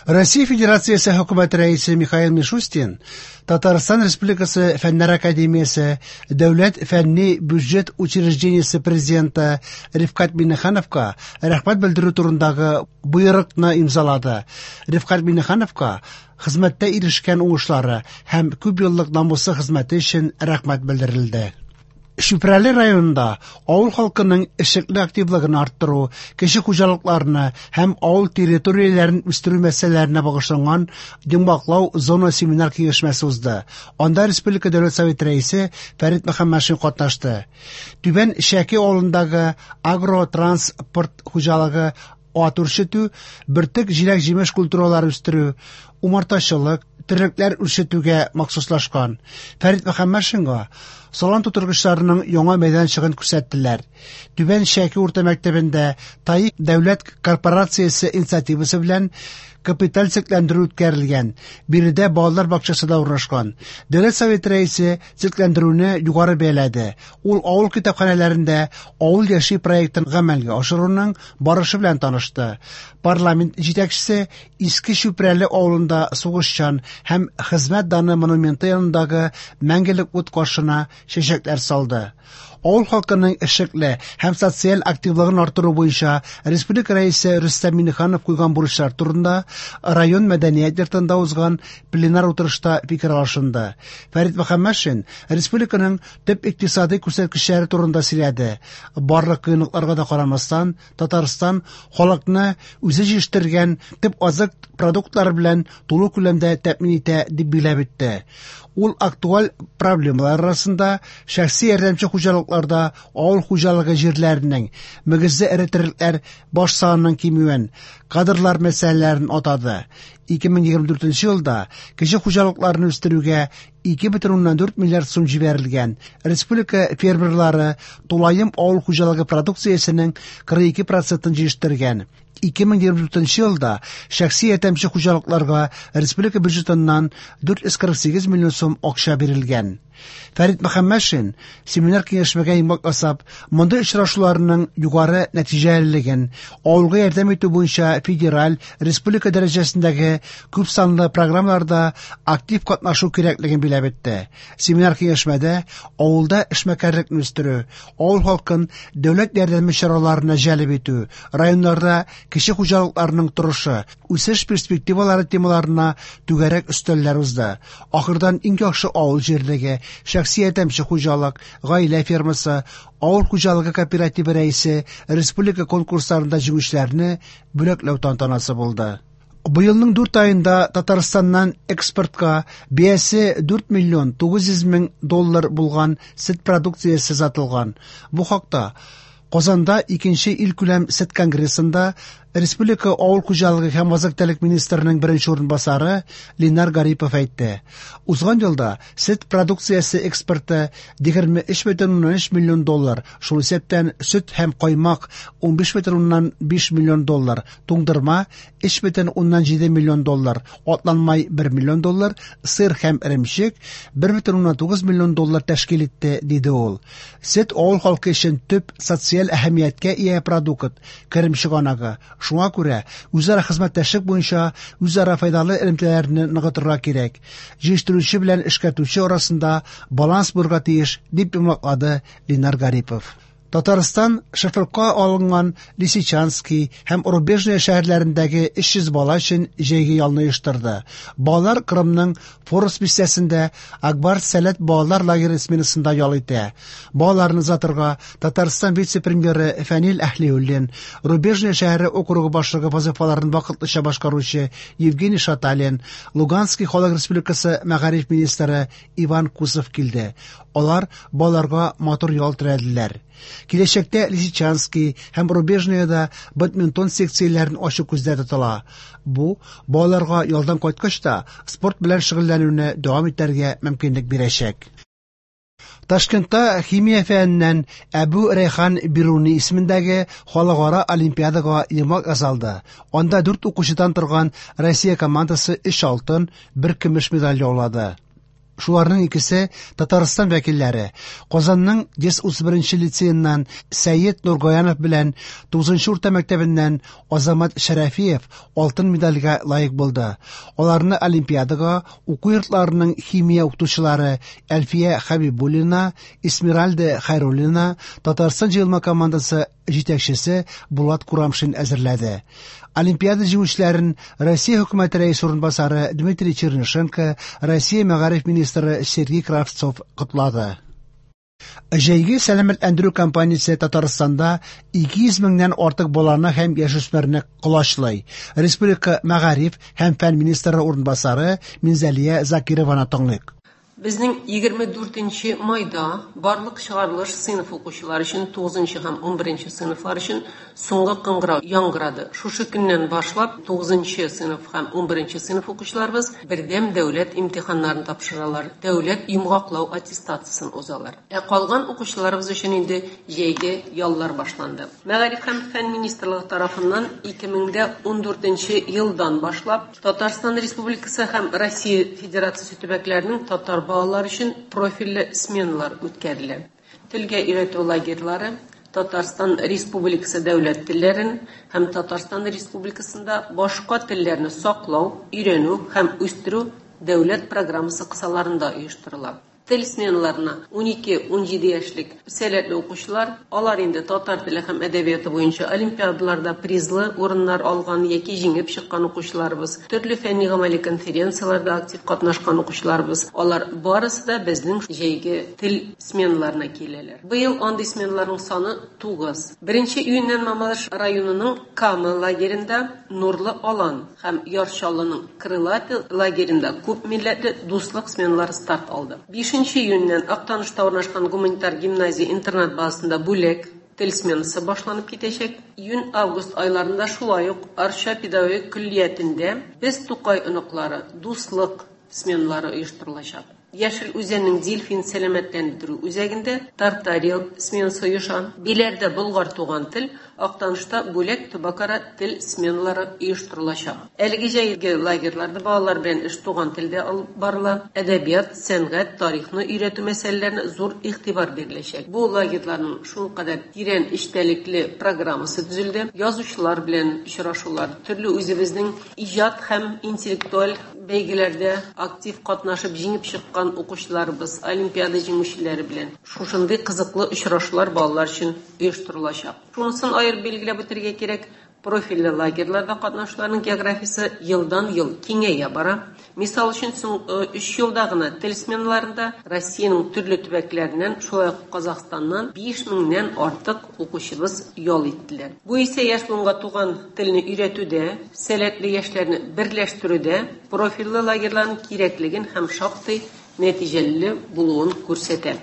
Россия Федерациясе Хөкүмәте Рәисе Михаил Мишустин Татарстан Республикасы Фәннәр академиясе Дәүләт фәнни бюджет учреждениесе президенты Рифкать Миңнехановка рәхмәт белдерү турындагы боерыкны имзалады. Рифкать Миңнехановка хезмәттә ирешкән уңышлары һәм күпьеллык намуслы хезмәте өчен рәхмәт белдерелде. Чүпрәле районында авыл халкының эшлекле активлыгын арттыру, кече хуҗалыкларны һәм авыл территорияләрен үстерү мәсьәләләренә багышланган йомгаклау зона семинар киңәшмәсе узды. Анда Республика Дәүләт Советы Рәисе Фәрит Мөхәммәтшин катнашты. Түбән Шәки авылындагы агротранспорт хуҗалыгы ат үрчетү, бөртек җиләк-җимеш культуралары үстерү, умартачылык, терлекләр үрчетүгә махсуслашкан. Фәрит Мөхәммәтшинга салам тутыргычларының яңа мәйданчыгын күрсәттеләр. Түбән Шәки урта мәктәбендә ТАИК дәүләт корпорациясе инициативасы белән капиталь төзекләндерү үткәрелгән. Биредә балалар бакчасы да урнашкан. Дәүләт Советы рәисе төзекләндерүне югары бәяләде. Ул авыл китапханәләрендә Авыл яши проектын гамәлгә ашыруның барышы белән танышты. Парламент җитәкчесе Иске Чүпрәле авылында сугышчан һәм хезмәт даны монументы янындагы мәңгелек ут каршына чәчәкләр салды. Авыл халкының эшлекле һәм социаль активлыгын арттыру буенча республика Рәисе Рөстәм Миңнеханов куйган бурычлар турында район мәдәният йортында узган пленар утырышта фикер алышынды. Фәрит Мөхәммәтшин республиканың төп икътисадый күрсәткечләре турында сөйләде. Барлык кыенлыкларга да карамастан, Татарстан халыкны үзе җитештергән төп азык продуктлары белән тулы күләмдә тәэмин итә, дип билгеләп үтте. Ул актуаль проблемалар арасында шәхси ярдәмче хуҗалыкларда авыл хуҗалыгы җирләренең, мөгезле эре терлекләр баш санының кимүен, кадрлар мәсьәләләрен атады. 2024 елда кече хуҗалыкларны үстерүгә 2,4 миллиард сум җибәрелгән. Республика фермерлары тулаем авыл хуҗалыгы продукциясенең 42 процентын җитештергән. 2024 елда шәхси ярдәмче хуҗалыкларга республика бюджетыннан 448 миллион сум акча бирелгән. Фәрит Мөхәммәтшин семинар-киңәшмәгә йомгак ясап, мондый очрашуларның югары нәтиҗәлелеген, авылга ярдәм итү буенча федераль, республика дәрәҗәсендәге күпсанлы программаларда актив катнашу кирәклеген билгеләп үтте. Семинар-киңәшмәдә авылда эшмәкәрлекне үстерү, авыл халкын дәүләт ярдәме чараларына җәлеп итү, районнарда кече хуҗалыкларның торышы, үсеш перспективалары темаларына түгәрәк өстәлләр узды. Ахырдан иң яхшы авыл җирлеге, шәхси ярдәмче хуҗалык, гаилә фермасы, авыл хуҗалыгы кооперативы рәисе республика конкурсларында җиңүчеләрне бүләкләү тантанасы булды. Быелның дүрт аенда Татарстаннан экспортка бәясе 4 миллион 900 мең доллар булган сөт продукциясе сатылган. Бу хакта Казанда икенче илкүләм сөт конгрессында республика авыл хуҗалыгы һәм азык-төлек министрының беренче урынбасары Ленар Гарипов әйтте. Узган елда сөт продукциясе экспорты 23,3 миллион доллар, шул исәптән сөт һәм каймак 15,5 миллион доллар, туңдырма 3,7 миллион доллар, атланмай 1 миллион доллар, сыр һәм эремчек 1,9 миллион доллар тәшкил итте, диде ул. Сөт авыл халкы өчен төп социаль әһәмияткә ия продукт, керем чыганагы. Шуңа күрә үзара хезмәттәшлек буенча үзара файдалы элемтәләрне ныгытырга кирәк. Җитештерүче белән эшкәртүче арасында баланс булырга тиеш, дип йомгаклады Ленар Гарипов. Татарстан шефлыкка алынган Лисичанский һәм Рубежное шәһәрләрендәге 300 бала өчен җәйге ялны оештырды. Балалар Кырымның Форос бистәсендә Акбар Сәләт балалар лагере сменасында ял итә. Балаларны озатырга Татарстан вице-премьеры Фәнил Әһлиуллин, Рубежное шәһәре округы башлыгы вазыйфаларын вакытлыча башкаручы Евгений Шаталин, Луганский халык республикасы мәгариф министры Иван Кусов килде. Алар балаларга матур ял теләделәр. Киләчәктә Лисичанский һәм Рубежныйда бадминтон секцияләрен ачу күздә тотыла. Бу балаларга ялдан кайткач та спорт белән шөгыльләнүне дәвам итәргә мөмкинлек бирәчәк. Ташкентта химия фәненнән Әбү Рәйхан Бируни исемендәге халыкара олимпиадага йомгак ясалды. Анда дүрт укучыдан торган Россия командасы өч алтын, бер көмеш медаль яулады. Шуларның икесе Татарстан вәкилләре. Казанның 131 нче лицееннан Сәет Нургаянов белән 9 нчы урта мәктәбеннән Азамат Шәрәфиев алтын медальгә лаек булды. Аларны олимпиадага уку йортларының химия укытучылары Әлфия Хәбибуллина, Эсмеральда Хәйруллина, Татарстан җыелма командасы җитәкчесе Булат Курамшин әзерләде. Олимпиада җиңүчеләрен Россия Хөкүмәте Рәисе урынбасары Дмитрий Чернышенко, Россия мәгариф министры Сергей Кравцов котлады. Җәйге сәламәтләндерү кампаниясе Татарстанда 200 меңнән артык баланы һәм яшүсмерне колачлый. Республика мәгариф һәм фән министры урынбасары Минзәлия Закированы тыңлыйк. Безнең 24 нче майда барлык чыгарылыш сыйныф укучылары өчен, 9 нчы һәм 11 нче сыйныфлар өчен соңгы кыңгырау яңгырады. Шушы көннән башлап 9 нчы сыйныф һәм 11 нче сыйныф укучыларыбыз бердәм дәүләт имтиханнарын тапшыралар, дәүләт йомгаклау аттестациясен узалар. Ә калган укучыларыбыз өчен инде җәйге яллар башланды. Мәгариф һәм фән министрлыгы тарафыннан 2014 нче елдан башлап Татарстан Республикасы һәм Россия Федерациясе төбәкләренең татар балалары өчен профильле сменалар үткәрелә. Телгә өйрәтү лагерьлары Татарстан Республикасы дәүләт телләрен һәм Татарстан Республикасында башка телләрне саклау, өйрәнү һәм үстерү дәүләт программасы кысаларында оештырыла. Тел сменаларына 12-17 яшьлек сәләтле укучылар, алар инде татар теле һәм әдәбияты буенча олимпиадаларда призлы урыннар алган яки җиңеп чыккан укучыларыбыз, төрле фәнни-гамәли конференцияләрдә актив катнашкан укучыларыбыз, алар барысы да безнең җәйге тел сменаларына киләләр. Быел андый сменаларның саны тугыз. Беренче июньнән Мамадыш районының Кама лагеренда Нурлы Алан һәм Яр Чаллының Крылатый лагеренда күп милләтле дуслык сменалары старт алды. Бишенче июньнән Актанышта урнашкан гуманитар гимназия-интернат базасында Бүләк тел сменасы башланып китәчәк. Июнь-август айларында шулай ук Арча педагогик көллиятендә Без Тукай оныклары, дуслык сменалары оештырылачак. Яшел Үзәннең Дельфин сәламәтләндерү үзәгендә Тартария сменасы оеша. Биләрдә Болгар туган тел, Актанышта Бүләк төбәкара тел сменалары оештырылачак. Әлеге җәйге лагерьларда балалар белән эш туган телдә алып барыла, әдәбият, сәнгать, тарихны өйрәтү мәсьәләләренә зур игътибар биреләчәк. Бу лагерьларның шулкадәр тирән эчтәлекле программасы төзелде. Язучылар белән очрашулар, төрле үзебезнең иҗат һәм интеллектуаль бәйгеләрдә актив катнашып җиңеп чыккан укучыларыбыз, олимпиада җиңүчеләре белән шушындый кызыклы очрашулар балалар өчен оештырылачак. Шунысын аерып билгеләп үтәргә кирәк, профильле лагерьларда катнашучыларның географиясе елдан-ел киңәя бара. Мисал өчен, соңгы өч елда гына тел сменаларында Россиянең төрле төбәкләреннән, шулай ук Казахстаннан 5 меңнән артык укучыбыз ял иттеләр. Бу исә яшь буынга туган телне өйрәтүдә, сәләтле яшьләрне берләштерүдә профильле лагерьларның кирәклеген һәм шактый нәтиҗәле булуын күрсәтә.